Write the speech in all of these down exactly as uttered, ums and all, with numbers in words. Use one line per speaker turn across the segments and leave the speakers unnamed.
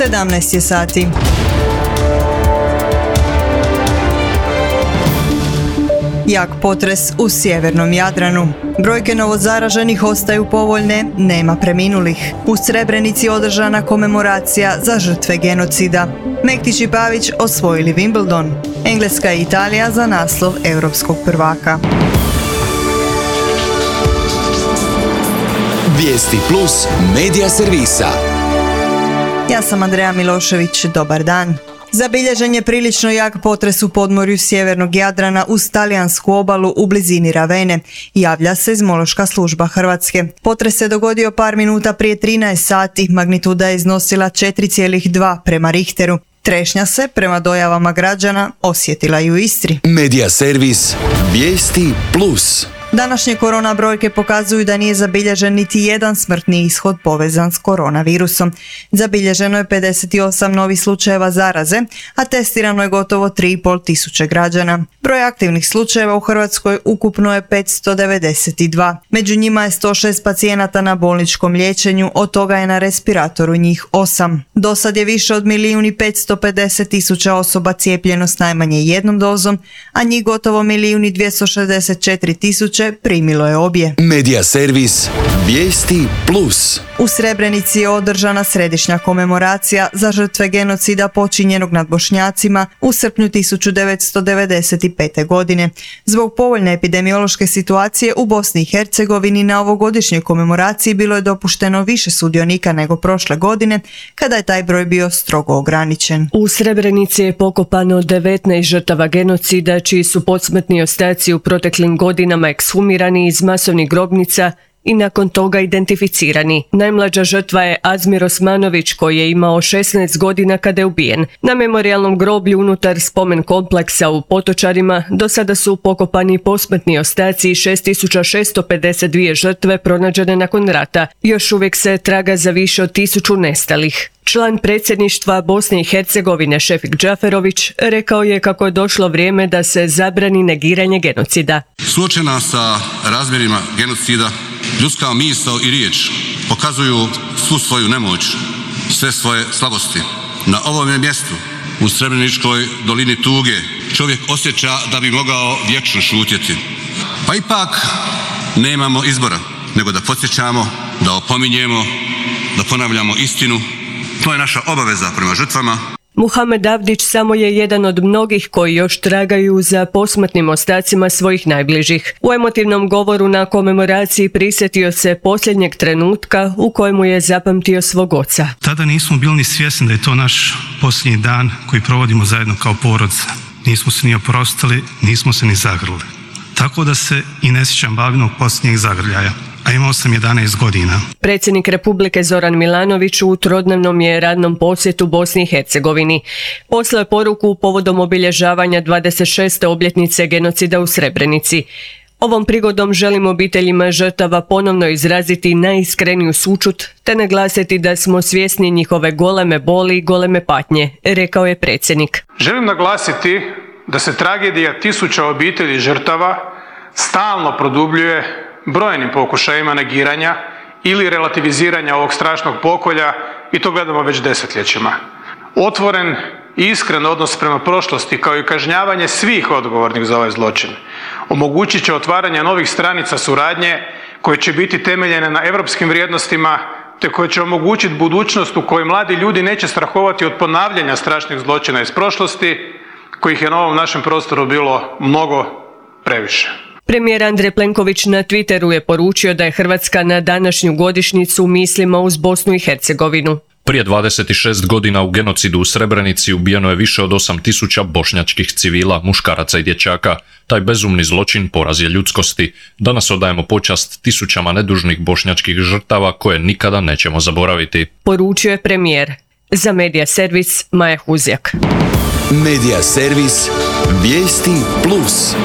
sedamnaest je sati. Jak potres u sjevernom Jadranu. Brojke novozaraženih ostaju povoljne, nema preminulih. U Srebrenici održana komemoracija za žrtve genocida. Mektić i Pavić osvojili Wimbledon. Engleska i Italija za naslov europskog prvaka.
Vijesti plus medija servisa.
Ja sam Andreja Milošević, dobar dan. Zabilježen je prilično jak potres u podmorju sjevernog Jadrana uz talijansku obalu u blizini Ravene, javlja seizmološka služba Hrvatske. Potres se dogodio par minuta prije trinaest sati, magnituda je iznosila četiri zarez dva prema Richteru. Trešnja se, prema dojavama građana, osjetila i u Istri.
Medija servis Vijesti plus.
Današnje korona brojke pokazuju da nije zabilježen niti jedan smrtni ishod povezan s koronavirusom. Zabilježeno je pedeset osam novih slučajeva zaraze, a testirano je gotovo tri i pol tisuće građana. Broj aktivnih slučajeva u Hrvatskoj ukupno je petsto devedeset dva. Među njima je sto šest pacijenata na bolničkom liječenju, od toga je na respiratoru njih osam. Do sad je više od milijun i petsto pedeset tisuća osoba cijepljeno s najmanje jednom dozom, a njih gotovo milijun i dvjesto šezdeset četiri tisuće primilo je obje.
Medija servis Vijesti plus.
U Srebrenici je održana središnja komemoracija za žrtve genocida počinjenog nad Bošnjacima u srpnju tisuću devetsto devedeset pete. godine. Zbog povoljne epidemiološke situacije u Bosni i Hercegovini na ovogodišnjoj komemoraciji bilo je dopušteno više sudionika nego prošle godine, kada je taj broj bio strogo ograničen.
U Srebrenici je pokopano devetnaest žrtava genocida, čiji su posmrtni ostaci u proteklim godinama ekshumirani iz masovnih grobnica i nakon toga identificirani. Najmlađa žrtva je Azmir Osmanović, koji je imao šesnaest godina kada je ubijen. Na memorijalnom groblju unutar spomen kompleksa u Potočarima do sada su pokopani posmrtni ostaci šest tisuća šesto pedeset dvije žrtve pronađene nakon rata. Još uvijek se traga za više od tisuću nestalih. Član predsjedništva Bosne i Hercegovine Šefik Džaferović rekao je kako je došlo vrijeme da se zabrani negiranje genocida.
Suočena sa razmjerima genocida, ljudska misao i riječ pokazuju svu svoju nemoć, sve svoje slabosti. Na ovome mjestu, u Srebreničkoj dolini tuge, čovjek osjeća da bi mogao vječno šutjeti. Pa ipak nemamo izbora, nego da podsjećamo, da opominjemo, da ponavljamo istinu. To je naša obaveza prema žrtvama.
Muhamed Avdić samo je jedan od mnogih koji još tragaju za posmrtnim ostacima svojih najbližih. U emotivnom govoru na komemoraciji prisjetio se posljednjeg trenutka u kojemu je zapamtio svog oca.
Tada nismo bili ni svjesni da je to naš posljednji dan koji provodimo zajedno kao porodica. Nismo se ni oprostili, nismo se ni zagrlili. Tako da se i ne sjećam babinog posljednjeg zagrljaja. A imao sam jedanaest godina.
Predsjednik Republike Zoran Milanović u trodnevnom je radnom posjetu Bosni i Hercegovini. Poslao je poruku povodom obilježavanja dvadeset šeste obljetnice genocida u Srebrenici. Ovom prigodom želim obiteljima žrtava ponovno izraziti najiskreniju sućut te naglasiti da smo svjesni njihove goleme boli i goleme patnje, rekao je predsjednik.
Želim naglasiti da se tragedija tisuća obitelji žrtava stalno produbljuje brojnim pokušajima negiranja ili relativiziranja ovog strašnog pokolja, i to gledamo već desetljećima. Otvoren i iskren odnos prema prošlosti kao i kažnjavanje svih odgovornih za ovaj zločin omogućit će otvaranje novih stranica suradnje koje će biti temeljene na europskim vrijednostima te koje će omogućiti budućnost u kojoj mladi ljudi neće strahovati od ponavljanja strašnih zločina iz prošlosti, kojih je na ovom našem prostoru bilo mnogo previše.
Premijer Andrej Plenković na Twitteru je poručio da je Hrvatska na današnju godišnjicu mislima uz Bosnu i Hercegovinu.
Prije dvadeset šest godina u genocidu u Srebrenici ubijeno je više od osam tisuća bošnjačkih civila, muškaraca i dječaka. Taj bezumni zločin poraz je ljudskosti. Danas odajemo počast tisućama nedužnih bošnjačkih žrtava koje nikada nećemo zaboraviti. Poručio je premijer. Za Medija servis Maja Huzjak.
Medija servis Vijesti plus.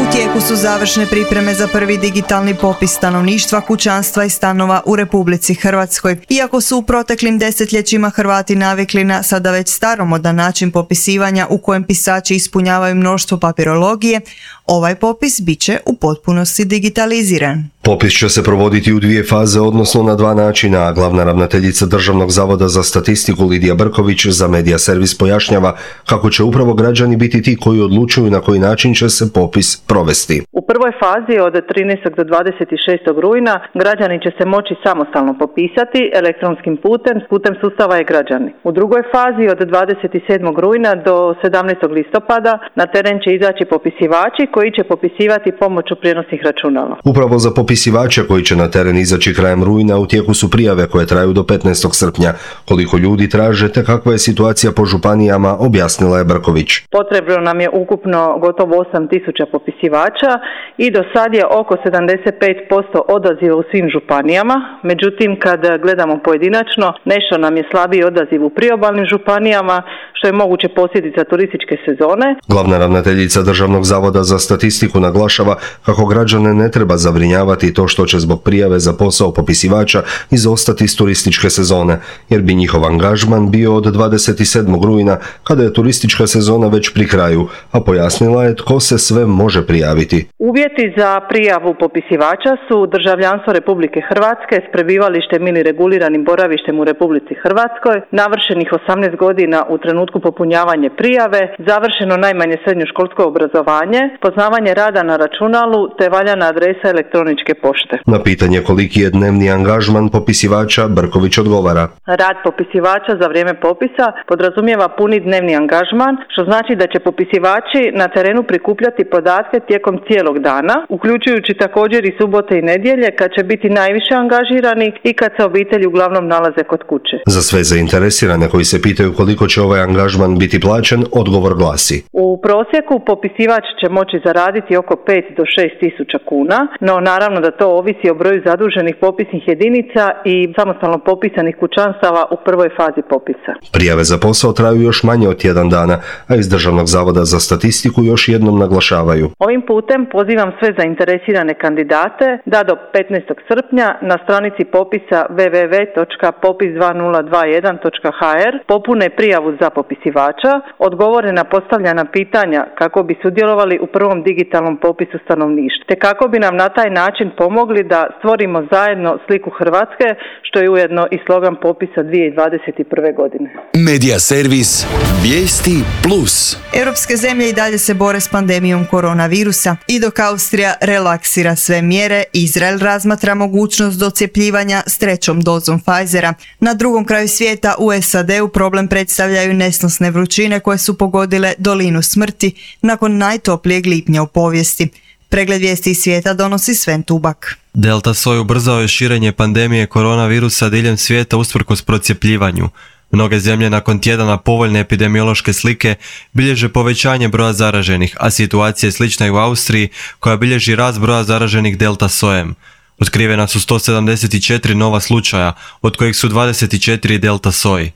U tijeku su završne pripreme za prvi digitalni popis stanovništva, kućanstva i stanova u Republici Hrvatskoj. Iako su u proteklim desetljećima Hrvati navikli na sada već staromodan način popisivanja u kojem pisači ispunjavaju mnoštvo papirologije, ovaj popis bit će u potpunosti digitaliziran.
Popis će se provoditi u dvije faze, odnosno na dva načina, a glavna ravnateljica Državnog zavoda za statistiku Lidija Brković za Medija servis pojašnjava kako će upravo građani biti ti koji odlučuju na koji način će se popis provesti.
U prvoj fazi od trinaestog do dvadeset šestog rujna građani će se moći samostalno popisati elektronskim putem, putem sustava e-građani. U drugoj fazi od dvadeset sedmog rujna do sedamnaestog listopada na teren će izaći popisivači koji će popisivati pomoću prijenosnih računala.
Upravo za popisivače koji će na teren izaći krajem rujna u tijeku su prijave koje traju do petnaestog srpnja. Koliko ljudi traže te kakva je situacija po županijama, objasnila je Brković.
Potrebno nam je ukupno gotovo osam tisuća popisivača i do sad je oko sedamdeset pet posto odaziva u svim županijama. Međutim, kad gledamo pojedinačno, nešto nam je slabiji odaziv u priobalnim županijama, što je moguće posljedica turističke sezone.
Glavna ravnateljica Državnog zavoda za statistiku naglašava kako građane ne treba zabrinjavati to što će zbog prijave za posao popisivača izostati iz turističke sezone, jer bi njihov angažman bio od dvadeset sedmog rujna, kada je turistička sezona već pri kraju, a pojasnila je tko se sve može prijaviti.
Uvjeti za prijavu popisivača su državljanstvo Republike Hrvatske s prebivalištem ili reguliranim boravištem u Republici Hrvatskoj, navršenih osamnaest godina u trenutku popunjavanja prijave, završeno najmanje srednjoškolsko obrazovanje, poznavanje rada na računalu te valjana adresa elektroničke pošte.
Na pitanje koliki je dnevni angažman popisivača, Brković odgovara.
Rad popisivača za vrijeme popisa podrazumijeva puni dnevni angažman, što znači da će popisivači na terenu prikupljati podatke tijekom cijelog dana, uključujući također i subote i nedjelje kad će biti najviše angažirani i kad se obitelji uglavnom nalaze kod kuće.
Za sve zainteresirane koji se pitaju koliko će ovaj angažman biti plaćen, odgovor glasi.
U prosjeku popisivač će moći zaraditi oko pet do šest tisuća kuna, no naravno da to ovisi o broju zaduženih popisnih jedinica i samostalno popisanih kućanstava u prvoj fazi popisa.
Prijave za posao traju još manje od tjedan dana, a iz Državnog zavoda za statistiku još jednom naglašavaju.
Ovim putem pozivam sve zainteresirane kandidate da do petnaestog srpnja na stranici popisa w w w točka popis dva nula dva jedan točka h r popune prijavu za popisivača, odgovore na postavljena pitanja kako bi sudjelovali u prvom digitalnom popisu stanovništva, te kako bi nam na taj način pomogli da stvorimo zajedno sliku Hrvatske, što je ujedno i slogan popisa dvije tisuće dvadeset prve. godine.
Medija servis Vijesti plus.
Europske zemlje i dalje se bore s pandemijom koronavirusa i dok Austrija relaksira sve mjere, Izrael razmatra mogućnost docjepljivanja s trećom dozom Pfizera. Na drugom kraju svijeta u S A D-u problem predstavljaju nesnosne vrućine koje su pogodile dolinu smrti nakon najtoplijeg lipnja u povijesti. Pregled vijesti iz svijeta donosi Sven Tubak.
Delta soj ubrzao je širenje pandemije koronavirusa diljem svijeta usprkos procijepljivanju. Mnoge zemlje nakon tjedana povoljne epidemiološke slike bilježe povećanje broja zaraženih, a situacija je slična i u Austriji koja bilježi rast broja zaraženih delta sojem. Otkrivena su sto sedamdeset četiri nova slučaja, od kojih su dvadeset četiri delta soji.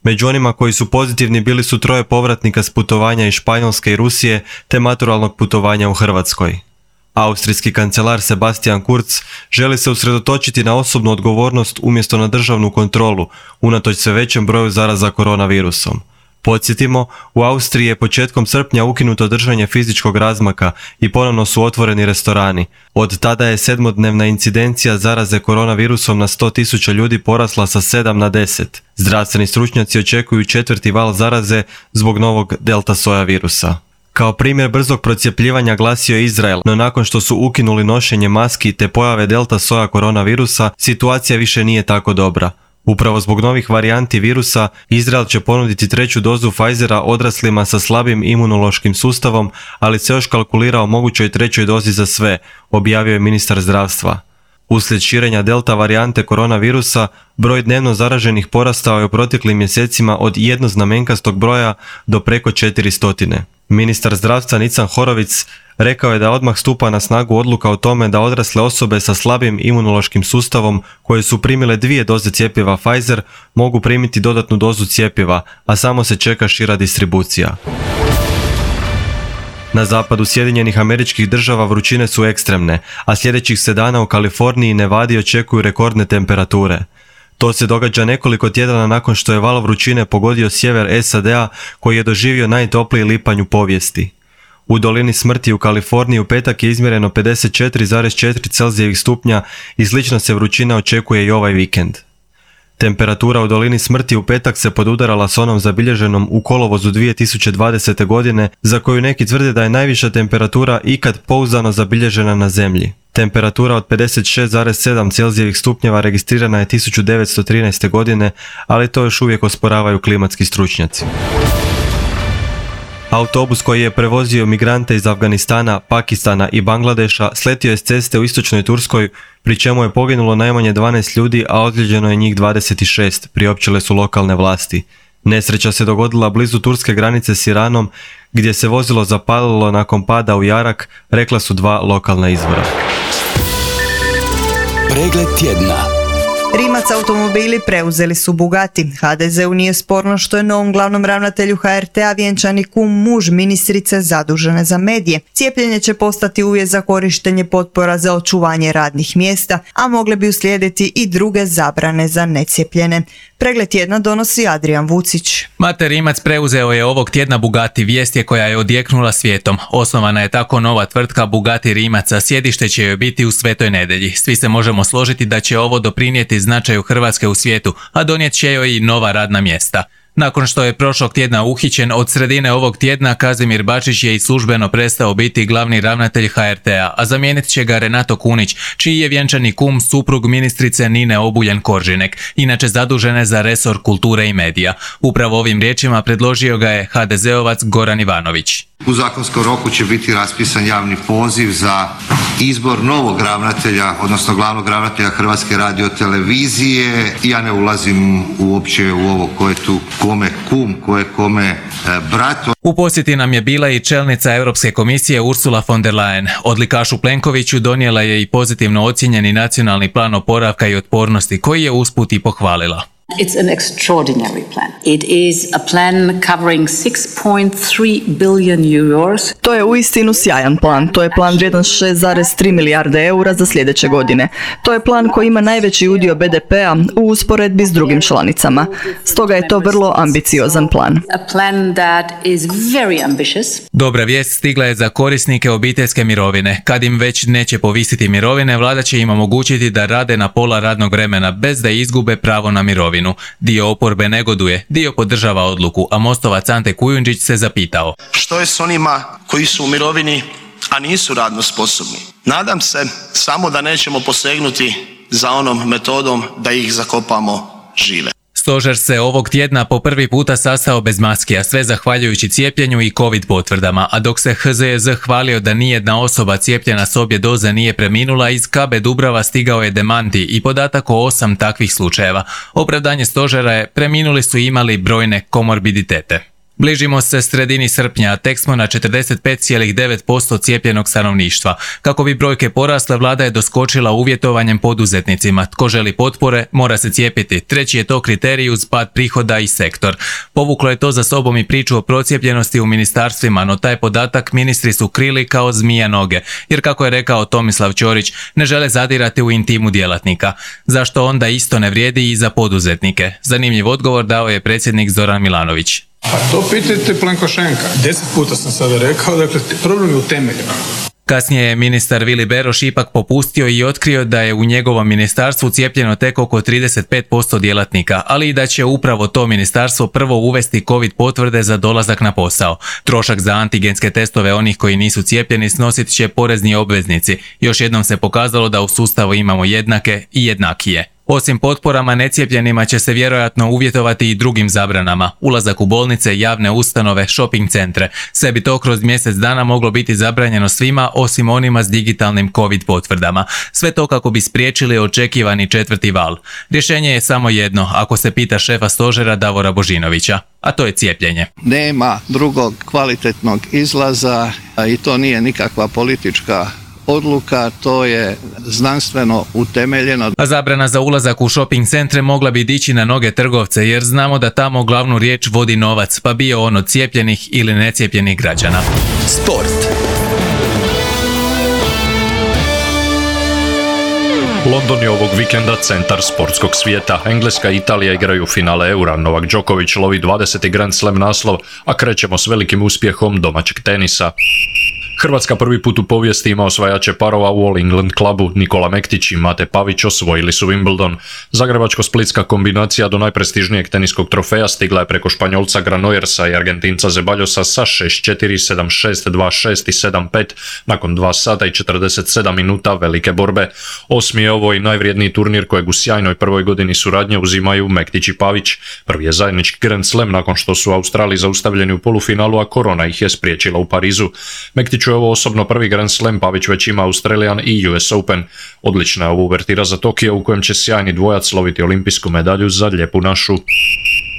Među onima koji su pozitivni bili su troje povratnika s putovanja iz Španjolske i Rusije te maturalnog putovanja u Hrvatskoj. Austrijski kancelar Sebastian Kurz želi se usredotočiti na osobnu odgovornost umjesto na državnu kontrolu, unatoč sve većem broju zaraza koronavirusom. Podsjetimo, u Austriji je početkom srpnja ukinuto držanje fizičkog razmaka i ponovno su otvoreni restorani. Od tada je sedmodnevna incidencija zaraze koronavirusom na sto tisuća ljudi porasla sa sedam na deset. Zdravstveni stručnjaci očekuju četvrti val zaraze zbog novog delta soja virusa. Kao primjer brzog procjepljivanja glasio je Izrael, no nakon što su ukinuli nošenje maski te pojave delta soja koronavirusa, situacija više nije tako dobra. Upravo zbog novih varijanti virusa, Izrael će ponuditi treću dozu Pfizera odraslima sa slabim imunološkim sustavom, ali se još kalkulira o mogućoj trećoj dozi za sve, objavio je ministar zdravstva. Uslijed širenja delta varijante koronavirusa, broj dnevno zaraženih porastao je u proteklim mjesecima od jednoznamenkastog broja do preko četiristo. Ministar zdravstva Nican Horovic rekao je da odmah stupa na snagu odluka o tome da odrasle osobe sa slabim imunološkim sustavom koje su primile dvije doze cjepiva Pfizer mogu primiti dodatnu dozu cjepiva, a samo se čeka šira distribucija. Na zapadu Sjedinjenih Američkih Država vrućine su ekstremne, a sljedećih se dana u Kaliforniji i Nevadi očekuju rekordne temperature. To se događa nekoliko tjedana nakon što je val vrućine pogodio sjever S A D-a koji je doživio najtopliji lipanj u povijesti. U dolini smrti u Kaliforniji u petak je izmjereno pedeset četiri zarez četiri Celzijevih stupnja i slično se vrućina očekuje i ovaj vikend. Temperatura u dolini smrti u petak se podudarala s onom zabilježenom u kolovozu dvije tisuće dvadesete. godine, za koju neki tvrde da je najviša temperatura ikad pouzdano zabilježena na zemlji. Temperatura od pedeset šest zarez sedam Celzijevih stupnjeva registrirana je tisuću devetsto trinaeste. godine, ali to još uvijek osporavaju klimatski stručnjaci. Autobus koji je prevozio migrante iz Afganistana, Pakistana i Bangladeša sletio je s ceste u istočnoj Turskoj, pri čemu je poginulo najmanje dvanaest ljudi, a ozlijeđeno je njih dvadeset šest, priopćile su lokalne vlasti. Nesreća se dogodila blizu turske granice s Iranom, gdje se vozilo zapalilo nakon pada u jarak, rekla su dva lokalna izvora.
Pregled tjedna.
Rimac automobili preuzeli su Bugatti. ha de zeu nije sporno što je novom glavnom ravnatelju ha er te a vjenčani kum muž ministrice zadužene za medije. Cijepljenje će postati uvjet za korištenje potpora za očuvanje radnih mjesta, a mogle bi uslijediti i druge zabrane za necijepljene. Pregled tjedna donosi Adrijan Vucić.
Mate Rimac preuzeo je ovog tjedna Bugatti, vijest je koja je odjeknula svijetom. Osnovana je tako nova tvrtka Bugatti Rimac, a sjedište će joj biti u Svetoj Nedelji. Svi se možemo složiti da će ovo doprinijeti značaju Hrvatske u svijetu, a donijet će joj i nova radna mjesta. Nakon što je prošlog tjedna uhićen, od sredine ovog tjedna Kazimir Bačić je i službeno prestao biti glavni ravnatelj ha er te a, a zamijenit će ga Renato Kunić, čiji je vjenčani kum suprug ministrice Nine Obuljen-Koržinek, inače zadužene za resor kulture i medija. Upravo ovim riječima predložio ga je ha de zeovac Goran Ivanović.
U zakonskom roku će biti raspisan javni poziv za izbor novog ravnatelja, odnosno glavnog ravnatelja Hrvatske radiotelevizije. Ja ne ulazim uopće u ovo ko je tu kome kum, ko je kome brat.
U posjeti nam je bila i čelnica Europske komisije Ursula von der Leyen. Odlikašu Plenkoviću donijela je i pozitivno ocijenjeni nacionalni plan oporavka i otpornosti, koji je usput i pohvalila.
It's an extraordinary plan. It is a plan covering six point three billion euros.
To je uistinu sjajan plan. To je plan vrijedan šest zarez tri milijarde eura za sljedeće godine. To je plan koji ima najveći udio be de pe a u usporedbi s drugim članicama. Stoga je to vrlo ambiciozan plan.
A plan that is very ambitious.
Dobra vijest stigla je za korisnike obiteljske mirovine. Kad im već neće povisiti mirovine, vlada će im omogućiti da rade na pola radnog vremena bez da izgube pravo na mirovinu. Dio oporbe negoduje, dio podržava odluku, a Mostovac Ante Kujundžić se zapitao.
Što je s onima koji su u mirovini, a nisu radno sposobni? Nadam se samo da nećemo posegnuti za onom metodom da ih zakopamo žive.
Stožer se ovog tjedna po prvi puta sastao bez maske, a sve zahvaljujući cijepljenju i covid potvrdama, a dok se ha ze je ze hvalio da nijedna osoba cijepljena s obje doze nije preminula, iz ka be Dubrava stigao je demanti i podatak o osam takvih slučajeva. Opravdanje stožera je: preminuli su imali brojne komorbiditete. Bližimo se sredini srpnja, a tek smo na četrdeset pet zarez devet posto cijepljenog stanovništva. Kako bi brojke porasle, vlada je doskočila uvjetovanjem poduzetnicima. Tko želi potpore, mora se cijepiti. Treći je to kriterij uz pad prihoda i sektor. Povuklo je to za sobom i priču o procijepljenosti u ministarstvima, no taj podatak ministri su krili kao zmija noge, jer kako je rekao Tomislav Ćorić, ne žele zadirati u intimu djelatnika. Zašto onda isto ne vrijedi i za poduzetnike? Zanimljiv odgovor dao je predsjednik Zoran Milanović.
Pa to pitajte Plenkošenka. Deset puta sam sada rekao, dakle problem je u temeljima.
Kasnije je ministar Vili Beroš ipak popustio i otkrio da je u njegovom ministarstvu cijepljeno tek oko trideset pet posto djelatnika, ali i da će upravo to ministarstvo prvo uvesti covid potvrde za dolazak na posao. Trošak za antigenske testove onih koji nisu cijepljeni snosit će porezni obveznici. Još jednom se pokazalo da u sustavu imamo jednake i jednakije. Osim potporama necijepljenima će se vjerojatno uvjetovati i drugim zabranama. Ulazak u bolnice, javne ustanove, shopping centre. Sve bi to kroz mjesec dana moglo biti zabranjeno svima osim onima s digitalnim covid potvrdama. Sve to kako bi spriječili očekivani četvrti val. Rješenje je samo jedno, ako se pita šefa stožera Davora Božinovića, a to je cijepljenje.
Nema drugog kvalitetnog izlaza i to nije nikakva politička odluka, to je znanstveno utemeljeno.
A zabrana za ulazak u shopping centre mogla bi dići na noge trgovce, jer znamo da tamo glavnu riječ vodi novac, pa bio on od cijepljenih ili necijepljenih građana.
Sport.
London je ovog vikenda centar sportskog svijeta. Engleska i Italija igraju finale Eura. Novak Đoković lovi dvadeseti Grand Slam naslov, a krećemo s velikim uspjehom domaćeg tenisa. Hrvatska prvi put u povijesti ima osvajače parova u All England klubu. Nikola Mektić i Mate Pavić osvojili su Wimbledon. Zagrebačko-splitska kombinacija do najprestižnijeg teniskog trofeja stigla je preko Španjolca Granollерsa i Argentinca Zeballosa sa šest četiri, sedam šest, dva šest i sedam pet nakon dva sata i četrdeset sedam minuta velike borbe. Osmi je ovo i najvrijedniji turnir kojeg u sjajnoj prvoj godini suradnje uzimaju Mektić i Pavić. Prvi je zajednički Grand Slam nakon što su Australiji zaustavljeni u polufinalu, a korona ih je spriječila u Parizu. Mektiću je ovo osobno prvi Grand Slam, Pavić već ima Australian i U S Open. Odlična je ovo uvertira za Tokio u kojem će sjajni dvojac sloviti olimpijsku medalju za lijepu našu.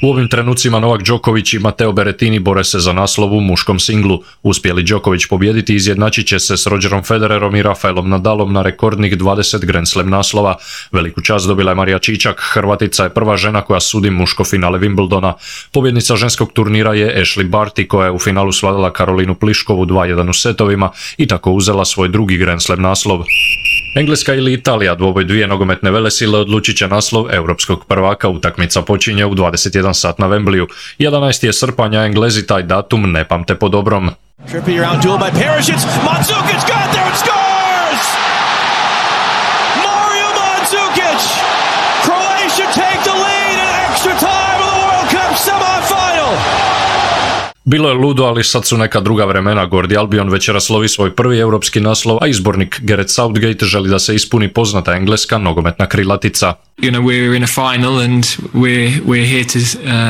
U ovim trenucima Novak Đoković i Matteo Berrettini bore se za naslov u muškom singlu. Uspjeli Đoković pobijediti, izjednačit će se s Rogerom Federerom i Rafaelom Nadalom na rekordnih dvadeset Grand Slam naslova. Veliku čast dobila je Marija Čičak, Hrvatica je prva žena koja sudi muško finale Wimbledona. Pobjednica ženskog turnira je Ashley Barty koja je u finalu svladala Karolinu Pliškovu dva jedan u setovima i tako uzela svoj drugi Grand Slam naslov. Engleska ili Italija, dvoboj dvije nogometne velesile, odlučit će naslov europskog prvaka. Utakmica počinje u dvadeset jedan sat na Wembleyu. jedanaesti je srpanja, Englezi taj datum ne pamte po dobrom.
Trippier around duel by Perisic, Mandzukic got there and scores! Mario Mandzukic! Croatia take the lead in extra time of the World Cup semi-final!
Bilo je ludo, ali sad su neka druga vremena. Gordi Albion večeras slovi svoj prvi europski naslov, a izbornik Gareth Southgate želi da se ispuni poznata engleska nogometna krilatica.
You know, we're in a final and we're, we're here to,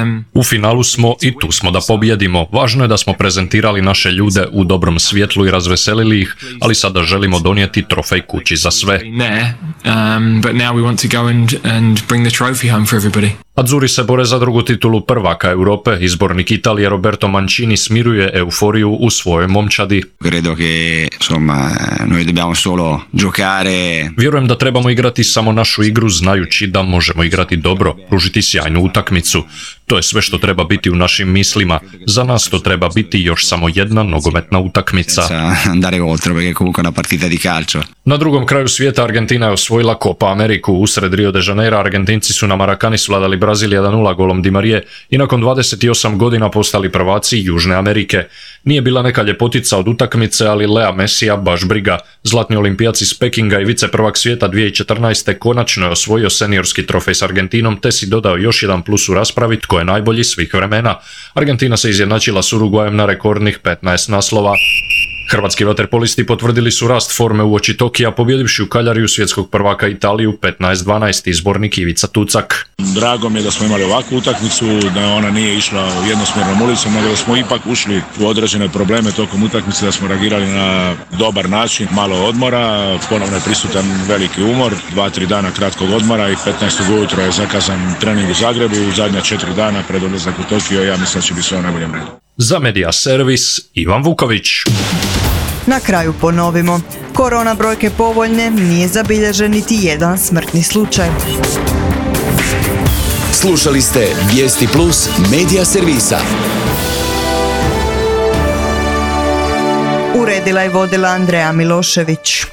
um...
U finalu smo i tu smo da pobjedimo. Važno je da smo prezentirali naše ljude u dobrom svjetlu i razveselili ih, ali sada želimo donijeti trofej kući za sve.
Um, but now we want to go and, and bring the trophy home for everybody.
Azzurri se bore za drugu titulu prvaka Europe. Izbornik Italije Roberto Mancini smiruje euforiju u svojoj momčadi.
Credo che, insomma, noi dobbiamo solo giocare.
Vjerujem da trebamo igrati samo našu igru znajući da možemo igrati dobro, pružiti sjajnu utakmicu. To je sve što treba biti u našim mislima. Za nas to treba biti još samo jedna nogometna utakmica.
Andare oltre perché comunque una partita di calcio.
Na drugom kraju svijeta Argentina je osvojila Copa Ameriku. Usred Rio de Janeiro Argentinci su na Marakani svladali Brazil jedan nula golom Di Marije i nakon dvadeset osam godina postali prvaci Južne Amerike. Nije bila neka ljepotica od utakmice, ali Lea Messija baš briga. Zlatni olimpijac iz Pekinga i viceprvak svijeta dvije tisuće četrnaeste. konačno je osvojio seniorski trofej s Argentinom, te si dodao još jedan plus u raspravi tko je najbolji svih vremena. Argentina se izjednačila s Urugvajem na rekordnih petnaest naslova. Hrvatski vaterpolisti potvrdili su rast forme uoči Tokija, pobjedivši u Kaljariju svjetskog prvaka Italiju petnaest dvanaest, izbornik Ivica Tucak.
Drago mi je da smo imali ovakvu utakmicu, da ona nije išla jednosmjernom ulicom, nego da smo ipak ušli u određene probleme tokom utakmice, da smo reagirali na dobar način, malo odmora, ponovno je prisutan veliki umor, dva tri dana kratkog odmora i petnaestog ujutro je zakazan trening u Zagrebu, u zadnja četiri dana pred odlazak u Tokio, ja mislim da će biti sve u najboljem redu.
Za Media Servis, Ivan Vuković.
Na kraju ponovimo. Korona brojke povoljne, nije zabilježen niti jedan smrtni slučaj.
Slušali ste Vijesti Plus Media Servisa.
Uredila i vodila Andreja Milošević.